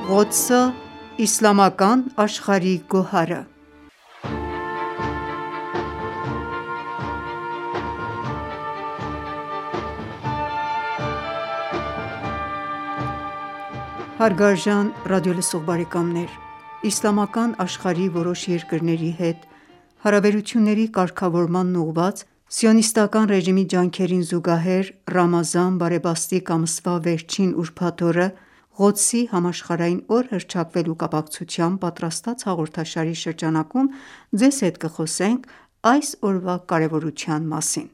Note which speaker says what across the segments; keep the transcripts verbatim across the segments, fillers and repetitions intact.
Speaker 1: Ղոդսը՝ իսլամական աշխարհի գոհարը Հարգարժան ռադիոլսող բարեկամներ, իսլամական աշխարհի որոշ երկրների հետ հարաբերությունների կարգավորմանն ուղղված սիոնիստական ռեժիմի ջանքերին զուգահեռ, Ռամազան բարեբաստիկ ամսվա վերջին ուրբաթ օրը Ղոդսի համաշխարհային օր հռչակվելու կապակցությամբ պատրաստած հաղորդաշարի շրջանակում ձեզ հետ կխոսենք այս օրվա կարևորության մասին: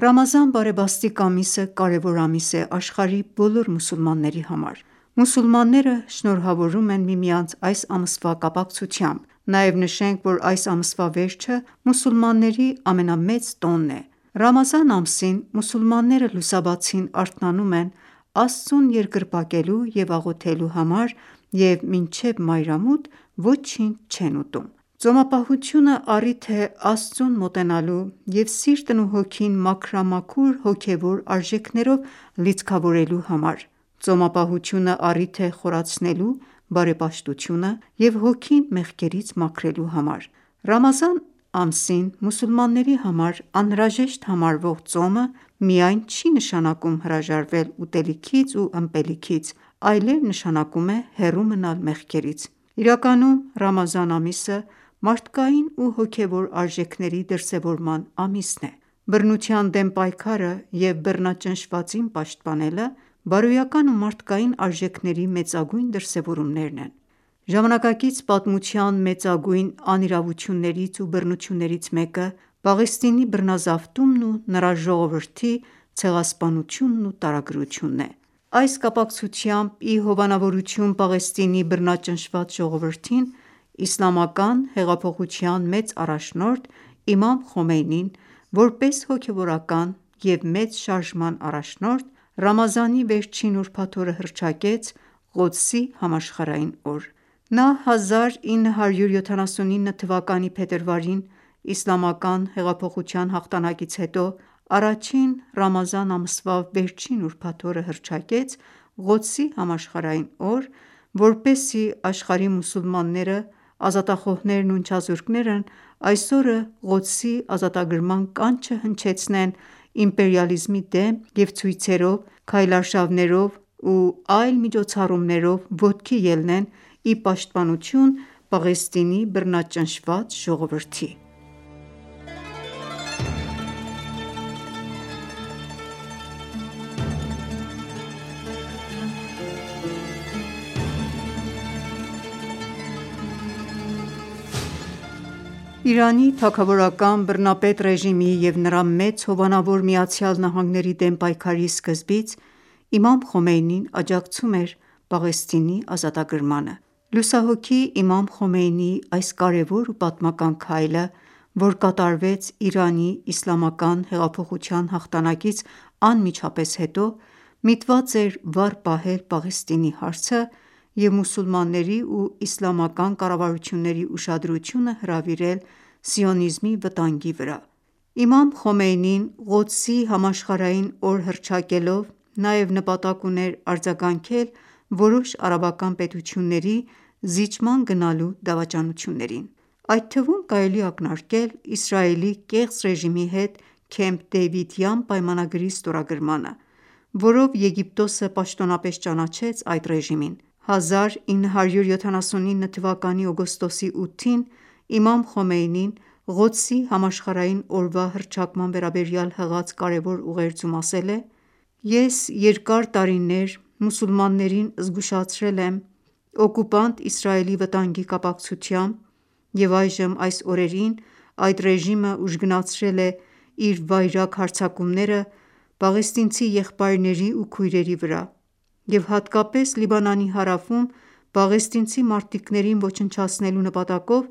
Speaker 1: Ռամազան բարեբաստիկ ամիսը կարևոր ամիս է աշխարհի բոլոր մուսուլմանների համար: Մուսուլմանները շնորհավորում են միմյանց այս ամսվա կապակցությամբ: Նաև նշենք, որ այս ամսվա վերջը մուսուլմանների ամենամեծ տոնն է: Ռամազան ամսին մուսուլմանները լուսաբացին արթնանում են Աստծուն երկրպագելու և աղոթելու համար և մինչև մայրամուտ ոչինչ չեն ուտում: Ծոմապահությունը առիթ է Աստծուն մոտենալու և սիրտն ու հոգին մաքրամաքուր հոգևոր արժեքներով լիցքավորելու համար: Ծոմապահությունը առիթ է խորացնելու բարեպաշտությունը և հոգին մեղքերից մաքրելու համար: Ռամազան ամսին մուսուլմանների համար անհրաժեշտ համարվող ծոմը միայն չի նշանակում հրաժարվել ուտելիքից ու ըմպելիքից, այլև նշանակում է հեռու մնալ մեղքերից: Իրականում Ռամազան ամիսը մարդկային ու հոգևոր արժեքների դրսևորման ամիսն է: Բռնության դեմ պայքարը և բռնաճնշվածին պաշտպանելը բարոյական ու մարդկային արժեքների մեծագույն դրսևորումներն են: Ժամանակակից պատմության մեծագույն անիրավություններից ու բռնություններից մեկը Պաղեստինի բռնազավթումն ու նրա ժողովրդի ցեղասպանությունն ու տարագրությունն է: Այս կապակցությամբ ի հովանավորություն Պաղեստինի բռնաճնշված ժողովրդին, Իսլամական հեղափոխության մեծ առաջնորդ իմամ Խոմեյնին, որպես հոգևորական և մեծ շարժման առաջնորդ, Ռամազանի վերջին ուրբաթ օրը հռչակեց Ղոդսի համաշխարհային օր: Նա հազար ինը հարյուր յոթանասունինը թվականի փետրվարին իսլամական հեղափոխության հաղթանակից հետո առաջին Ռամազան ամսվա վերջին ուրբաթ օրը հռչակեց Ղոդսի համաշխարհային օր, որպեսզի աշխարհի մուսուլմանները, ազատախոհներն ու ընչազուրկներն այս օրը Ղոդսի ազատագրման կանչը հնչեցնեն իմպերիալիզմի դեմ և ցույցերով, քայլարշավներով ու այլ միջոցառումներով ոտքի ելնեն ի պաշտպանություն Պաղեստինի բռնաճնշված ժողովրդի: Իրանի թագավորական բռնապետ ռեժիմի և նրա մեծ հովանավոր ԱՄՆ-ի դեմ պայքարի սկզբից իմամ Խոմեյնին աջակցում էր Պաղեստինի ազատագրմանը: Լուսահոգի իմամ Խոմեյնիի այս կարևոր ու պատմական քայլը, որ կատարվեց Իրանի իսլամական հեղափոխության հաղթանակից անմիջապես հետո, միտված էր վառ պահել Պաղեստինի հարցը և մուսուլմանների ու իսլամական կառավարությունների ուշադրությունը հրավիրել սիոնիզմի վտանգի վրա: Իմամ Խոմեյնին Ղոդսի համաշխարհային օր հռչակելով նաև նպատակ ուներ արձագանքել որոշ արաբական պետությունների զիջման գնալու դավաճանություններին: Այդ թվում կարելի է ակնարկել Իսրայելի կեղծ ռեժիմի հետ Քեմփ Դեյվիդյան պայմանագրի ստորագրմանը, որով Եգիպտոսը պաշտոնապես ճանաչեց այդ ռեժիմին: հազար ինը հարյուր յոթանասունինը թվականի օգոստոսի ութին իմամ Խոմեյնին Ղոդսի համաշխարհային օրվա հռչակման վերաբերյալ հղած կարևոր ուղերձում ասել է. «Ես երկար տարիներ մուսուլմաններին զգուշացրել եմ օկուպանտ Իսրայելի վտանգի կապակցությամբ և այժմ այս օրերին այդ ռեժիմը ուժգնացրել է իր վայրագ հարձակումները պաղեստինցի եղբայրների ու քույրերի վրա և հատկապես Լիբանանի հարավում պաղեստինցի մարտիկներին ոչնչացնելու նպատակով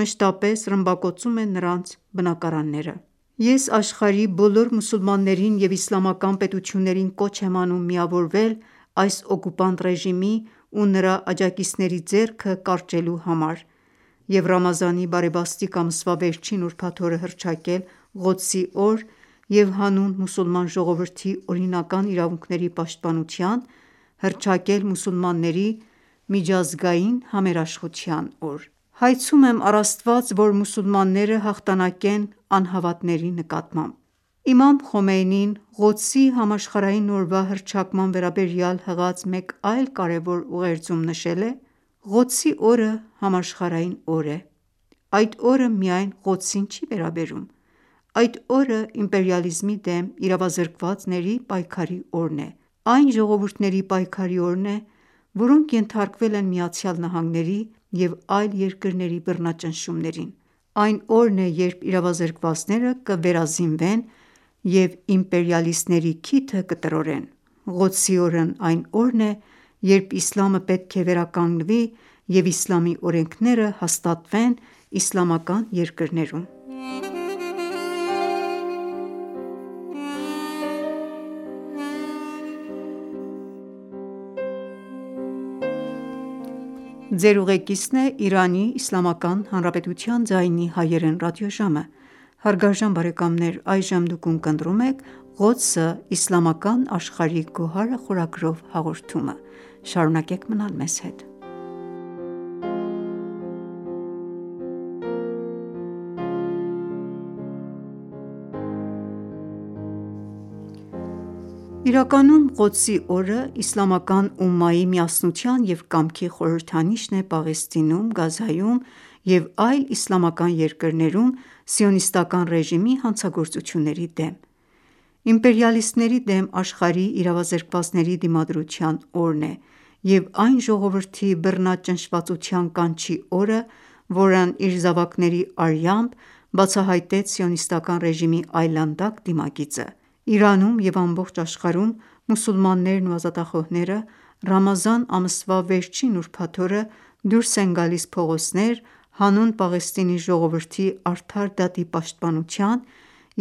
Speaker 1: մշտապես ռմբակոծում է նրանց բնակարանները: Ես աշխարհի բոլոր մուսուլմաններին և իսլամական պետություններին կոչ եմ անում միավորվել այս օկուպանտ ռեժիմի ու նրա աջակիցների ձեռքը կարճելու համար և Ռամազանի բարեբաստիկ ամսվա վերջին ուրբաթ օրը հռչակել Ղոդսի օր և հանուն մուսուլման ժողովրդի օրինական իրավունքների պաշտպանության, հռչակել մուսուլմանների միջազգային համերաշխության օր: Հայցում եմ առ Աստված, որ մուսուլմանները հաղթանակեն անհավատների նկատմամբ: Իմամ Խոմեյնին Ղոդսի համաշխարհային օրվա հռչակման վերաբերյալ հղած մեկ այլ կարևոր ուղերձում նշել է. «Ղոդսի օրը համաշխարհային օր է: Այդ օրը միայն Ղոդսին չի վերաբերում: Այդ օրը իմպերիալիզմի դեմ իրավազրկվածների պայքարի օրն է: Այն ժողովուրդների պայքարի օրն է, որոնք ենթարկվել են ԱՄՆ-ի և այլ երկրների բռնաճնշումներին: Այն օրն է, երբ իրավազրկվածները կվերազինվեն և իմպերիալիստների քիթը կտրորեն: Ղոդսի օրն այն օրն է, երբ իսլամը պետք է վերականգնվի և իսլամի օրենքները հաստատվեն իսլամական երկրներում»: Իրականում Ղոդսի օրը իսլամական ումմայի միասնության և կամքի խորհրդանիշն է Պաղեստինում, Գազայում և այլ իսլամական երկրներում սիոնիստական ռեժիմի հանցագործությունների դեմ: Իմպերիալիստների դեմ աշխարհի իրավազրկվածների դիմադրության օրն է և այն ժողովրդի բռնաճնշվածության կանչի օրը, որն իր զավակների արյամբ բացահայտեց սիոնիստական ռեժիմի այլանդակ դիմագիծը: Իրանում և ամբողջ աշխարհում մուսուլմաններն ու ազատախոհները Ռամազան ամսվա վերջին ուրբաթ օրը դուրս են գալիս փողոցներ՝ հանուն Պաղեստինի ժողովրդի արդար դատի պաշտպանության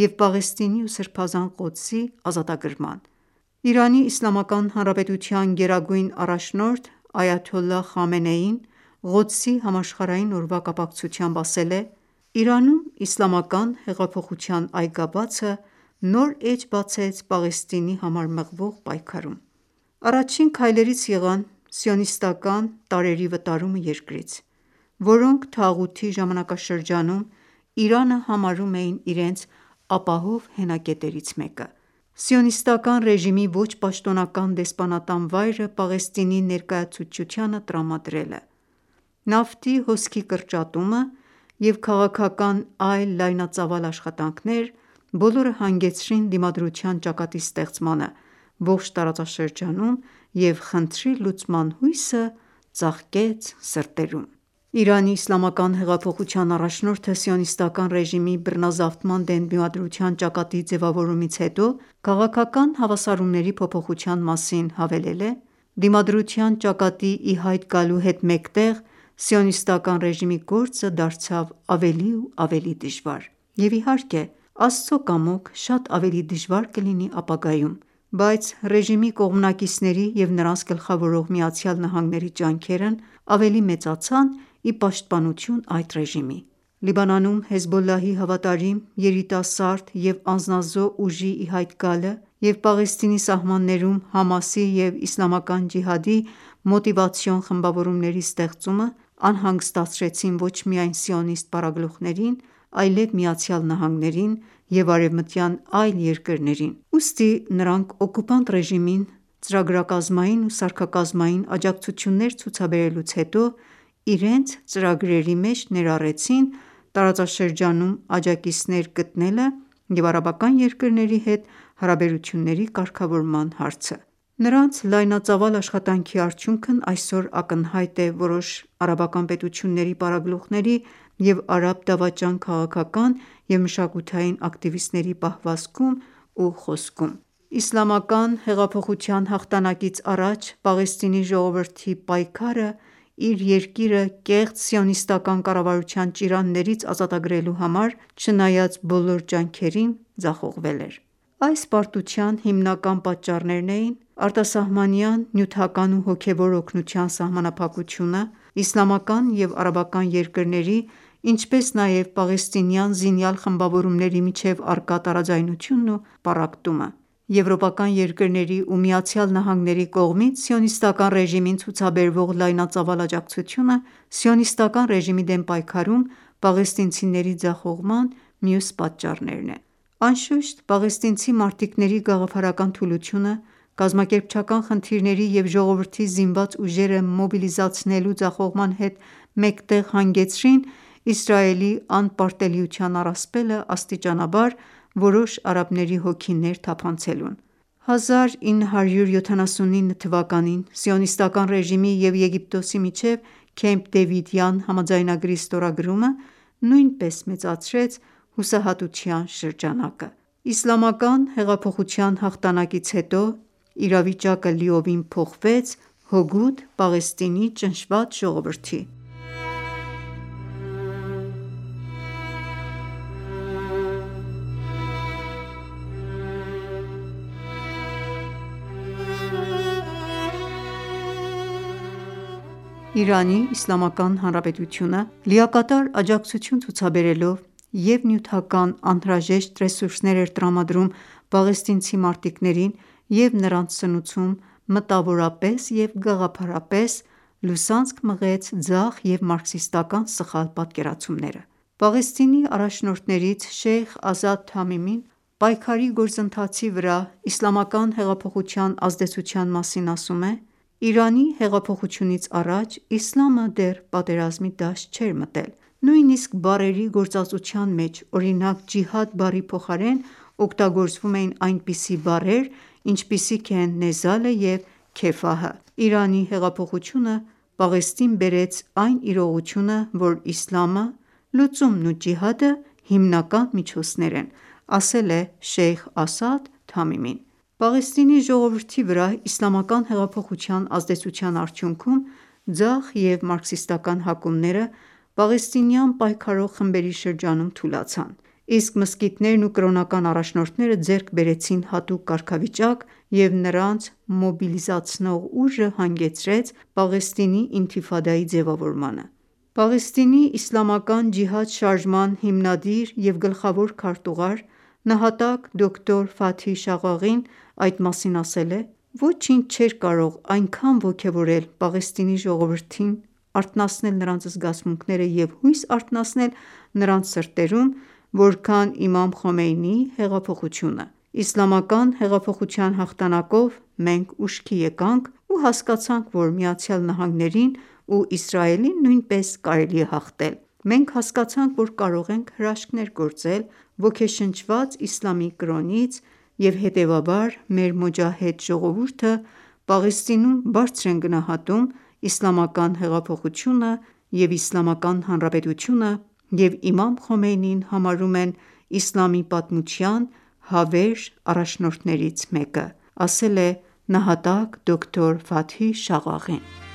Speaker 1: և Պաղեստինի ու Սրբազան Ղոդսի ազատագրման: ԻԻՀ գերագույն առաջնորդ այաթոլլահ Խամենեին Ղոդսի համաշխարհային օրվա կապակցությամբ ասել է. «Իրանում իսլամական հեղափոխության այգաբացը նոր էջ բացեց Պաղեստինի համար մղվող պայքարում: Առաջին քայլերից եղան սիոնիստական տարրերի վտարումը երկրից, որոնք թաղութի ժամանակաշրջանում Իրանը համարում էին իրենց ապահով հենակետերից մեկը: Սիոնիստական ռեժիմի ոչ պաշտոնական դեսպանատան վայրը Պաղեստինի ներկայացուցչությանը տրամադրելը, նավթի հոսքի կրճատումը և քաղաքական այլ լայնածավալ աշխատանքներ բոլորը հանգեցրին դիմադրության ճակատի ստեղծմանը ողջ տարածաշրջանում և խնդրի լուծման հույսը ծաղկեց սրտերում»: ԻԻՀ առաջնորդը սիոնիստական ռեժիմի բռնազավթման դեմ դիմադրության ճակատի ձևավորումից հետո քաղաքական հավասարումների փոփոխության մասին հավելել է. «Դիմադրության ճակատի ի հայտ գալու հետ մեկտեղ սիոնիստական ռեժիմի գործը դարձավ ավելի ու ավելի դժվար: Եվ իհարկե Աստծո կամոք շատ ավելի դժվար կլինի ապագայում: Բայց ռեժիմի կողմնակիցների և նրանց գլխավորող ԱՄՆ-ի ջանքերն ավելի մեծացան ի պաշտպանություն այդ ռեժիմի: Լիբանանում Հեզբոլլահի հավատարիմ, երիտասարդ և անձնազոհ ուժի ի հայտ գալը և Պաղեստինի սահմաններում ՀԱՄԱՍ-ի և Իսլամական ջիհադի մոտիվացիոն խմբավորումների ստեղծումը անհանգստացրեցին ոչ միայն սիոնիստ պարագլուխներին, այլև ԱՄՆ-ին և արևմտյան այլ երկրներին: Ուստի նրանք օկուպանտ ռեժիմին ծրագրակազմային ու սարքակազմային աջակցություններ ցուցաբերելուց հետո իրենց ծրագրերի մեջ ներառեցին տարածաշրջանում աջակիցներ գտնելը և արաբական երկրների հետ հարաբերությունների կարգավորման հարցը: Նրանց լայնածավալ աշխատանքի արդյունքն այսօր ակնհայտ է որոշ արաբական պետությունների պարագլուխների և արաբ դավաճան քաղաքական և մշակութային ակտիվիստների պահվածքում ու խոսքում: Իսլամական հեղափոխության հաղթանակից առաջ Պաղեստինի ժողովրդի պայքարը իր երկիրը կեղծ սիոնիստական կառավարության ճիրաններից ազատագրելու համար չնայած բոլոր ջանքերին ձախողվել էր: Այս պարտության հիմնական պատճառներն էին արտասահմանյան նյութական ու հոգևոր օգնության սահմանափակությունը, իսլամական և արաբական երկրների, ինչպես նաև պաղեստինյան զինյալ խմբավորումների միջև առկա տարաձայնությունն ու պառակտումը: Եվրոպական երկրների ու ԱՄՆ-ի կողմից Սիոնիստական ռեժիմին ցուցաբերվող լայնածավալ աջակցությունը Սիոնիստական ռեժիմի դեմ պայքարում պաղեստինցիների ձախողման մյուս պատճառներն են: Անշուշտ, պաղեստինցի մարտիկների գաղափարական թուլությունը, կազմակերպչական խնդիրների և ժողովրդի զինված ուժերը մոբիլիզացնելու ձախողման հետ մեկտեղ հանգեցրին Իսրայելի անպարտելիության առասպելը աստիճանաբար որոշ արաբների հոգիներ թափանցելուն: հազար ինը հարյուր յոթանասունինը թվականին Սիոնիստական ռեժիմի և Եգիպտոսի միջև Քեմփ Դեվիդյան համաձայնագրի ստորագրումը նույնպես մեծացրեց հուսահատության շրջանակը: Իսլամական հեղափոխության հաղթանակից հետո իրավիճակը լիովին փոխվեց հօգուտ Պաղեստինի ճնշված ժողովրդի: Իրանի Իսլամական Հանրապետությունը լիակատար աջակցություն ցուցաբերելով և՛ նյութական անհրաժեշտ ռեսուրսներ էր տրամադրում պաղեստինցի մարտիկներին և նրանց սնուցում մտավորապես և գաղափարապես, լուսանցք մղեց ձախ և մարքսիստական սխալ պատկերացումները: Պաղեստինի առաջնորդներից Շեյխ Ազադ Թամիմին պայքարի գործընթացի վրա իսլամական հեղափոխության ազդեցության մասին ասում է. «Իրանի հեղափոխությունից առաջ իսլամը դեռ պատերազմի դաշտ չէր մտել: Նույնիսկ բառերի գործածության մեջ, օրինակ ջիհադ բառի փոխարեն օգտագործվում էին այնպիսի բառեր, ինչպիսիք են Նեզալը և Քեֆահը: Իրանի հեղափոխությունը Պաղեստին բերեց այն իրողությունը, որ իսլամը, լուծումն ու ջիհադը հիմնական միջոցներ են», ասել է Շեյխ Ազադ Թամիմին: Պաղեստինի ժողովրդի վրա իսլամական հեղափոխության ազդեցության արդյունքում ձախ և մարքսիստական հակումները պաղեստինյան պայքարող խմբերի շրջանում թուլացան, իսկ մզկիթներն ու կրոնական առաջնորդները ձեռք բերեցին հատուկ կարգավիճակ և նրանց մոբիլիզացնող ուժը հանգեցրեց Պաղեստինի ինթիֆադայի ձևավորմանը: Պաղեստինի իսլամական ջիհադ շարժման հիմնադիր և գլխավոր քարտուղար, նահատակ դոկտոր Ֆաթհի Շաղաղին այդ մասին ասել է. «Ոչինչ չէր կարող այնքան ոգևորել Պաղեստինի ժողովրդին, արթնացնել նրանց զգացմունքները և հույս արթնացնել նրանց սրտերում, որքան իմամ Խոմեյնիի հեղափոխությունը: Իսլամական հեղափոխության հաղթանակով մենք ուշքի եկանք ու հասկացանք, որ ԱՄՆ-ին ու Իսրայելին նույնպես կարելի է հաղթել: Մենք հասկացանք, որ կարող ենք հրաշքներ գործել ոգեշնչված իսլամի կրոնից և հետևաբար մեր մոջահեդ ժողովուրդը Պաղեստինում բարձր են գնահատում իսլամական հեղափոխությունը և Իսլամական Հանրապետությունը և իմամ Խոմեյնիին համարում են իսլամի պատմության հավերժ առաջնորդներից մեկը», ասել է նահատակ դոկտոր Ֆաթհի Շաղաղին: